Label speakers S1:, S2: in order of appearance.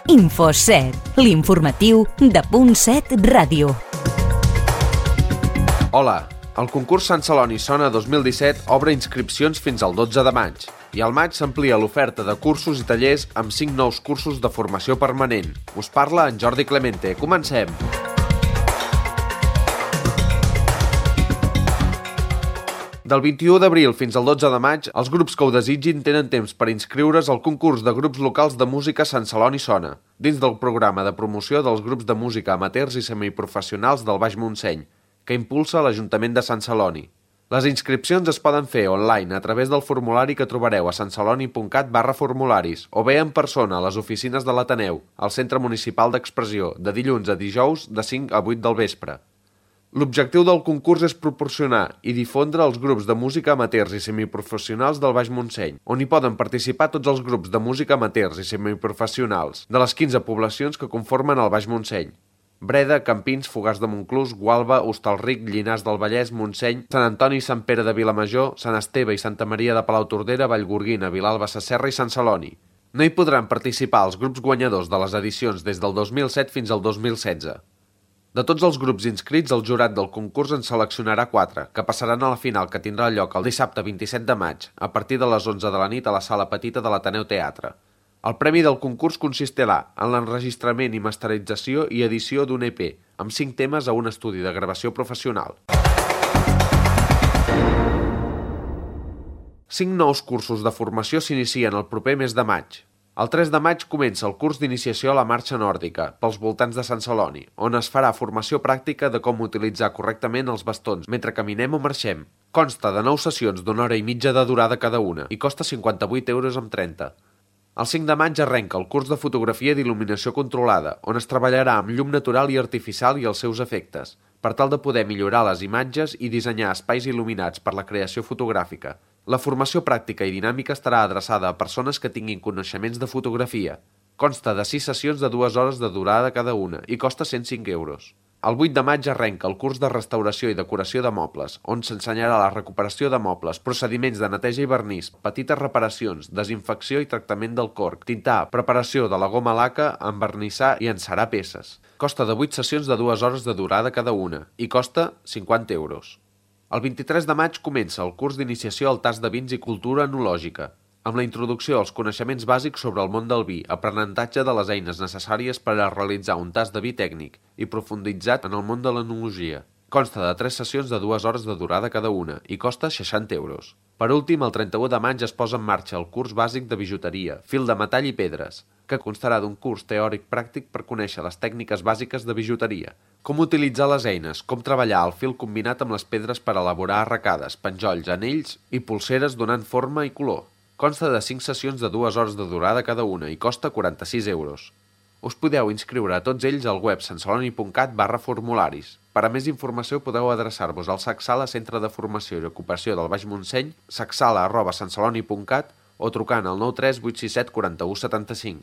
S1: Info7, l'informatiu de Punt7 Ràdio.
S2: Hola, el concurs Sant Celoni Sona 2017 obre inscripcions fins al 12 de maig i al maig s'amplia l'oferta de cursos i tallers amb 5 nous cursos de formació permanent. Us parla en Jordi Clemente. Comencem! Del 21 d'abril fins al 12 de maig, els grups que ho desitgin tenen temps per inscriure's al concurs de grups locals de música Sant Celoni Sona, dins del programa de promoció dels grups de música amateurs i semiprofessionals del Baix Montseny, que impulsa l'Ajuntament de Sant Celoni. Les inscripcions es poden fer online a través del formulari que trobareu a santceloni.cat/formularis o bé en persona a les oficines de l'Ateneu, al Centre Municipal d'Expressió, de dilluns a dijous de 5 a 8 del vespre. L'objectiu del concurs és proporcionar i difondre els grups de música amateurs i semiprofessionals del Baix Montseny, on hi poden participar tots els grups de música amateurs i semiprofessionals de les 15 poblacions que conformen el Baix Montseny: Breda, Campins, Fogars de Montclús, Gualba, Hostalric, Llinars del Vallès, Montseny, Sant Antoni, Sant Pere de Vilamajor, Sant Esteve i Santa Maria de Palautordera, Vallgorguina, Vilalba Sasserra i Sant Celoni. No hi podran participar els grups guanyadors de les edicions des del 2007 fins al 2016. De tots els grups inscrits, el jurat del concurs en seleccionarà 4, que passaran a la final que tindrà lloc el dissabte 27 de maig, a partir de les 11 de la nit a la Sala Petita de l'Ateneu Teatre. El premi del concurs consistirà en l'enregistrament i masterització i edició d'un EP, amb 5 temes a un estudi de gravació professional. 5 nous cursos de formació s'inicien el proper mes de maig. El 3 de maig comença el curs d'iniciació a la marxa nòrdica, pels voltants de Sant Celoni, on es farà formació pràctica de com utilitzar correctament els bastons mentre caminem o marxem. Consta de 9 sessions d'1 hora i mitja de durada cada una i costa 58,30 €. El 5 de maig arrenca el curs de fotografia d'il·luminació controlada, on es treballarà amb llum natural i artificial i els seus efectes, per tal de poder millorar les imatges i dissenyar espais il·luminats per la creació fotogràfica. La formació pràctica i dinàmica estarà adreçada a persones que tinguin coneixements de fotografia. Consta de 6 sessions de 2 hores de durada cada una i costa 105 €. El 8 de maig arrenca el curs de restauració i decoració de mobles, on s'ensenyarà la recuperació de mobles, procediments de neteja i vernís, petites reparacions, desinfecció i tractament del corc, tintar, preparació de la goma laca, envernissar i encerar peces. Costa de 8 sessions de 2 hores de durada cada una i costa 50 €. El 23 de maig comença el curs d'iniciació al tast de vins i cultura enològica, amb la introducció als coneixements bàsics sobre el món del vi, aprenentatge de les eines necessàries per a realitzar un tast de vi tècnic i profunditzat en el món de l'enologia. Consta de 3 sessions de 2 hores de durada cada una i costa 60 €. Per últim, el 31 de maig es posa en marxa el curs bàsic de bijuteria, fil de metall i pedres, que constarà d'un curs teòric-pràctic per conèixer les tècniques bàsiques de bijuteria, com utilitzar les eines, com treballar el fil combinat amb les pedres per elaborar arracades, penjolls, anells i polseres donant forma i color. Consta de 5 sessions de 2 hores de durada cada una i costa 46 €. Us podeu inscriure a tots ells al web santceloni.cat/formularis. Per a més informació podeu adreçar-vos al SACSALA Centre de Formació i Ocupació del Baix Montseny, sacsala@santceloni.cat o trucant al 93 867 41 75.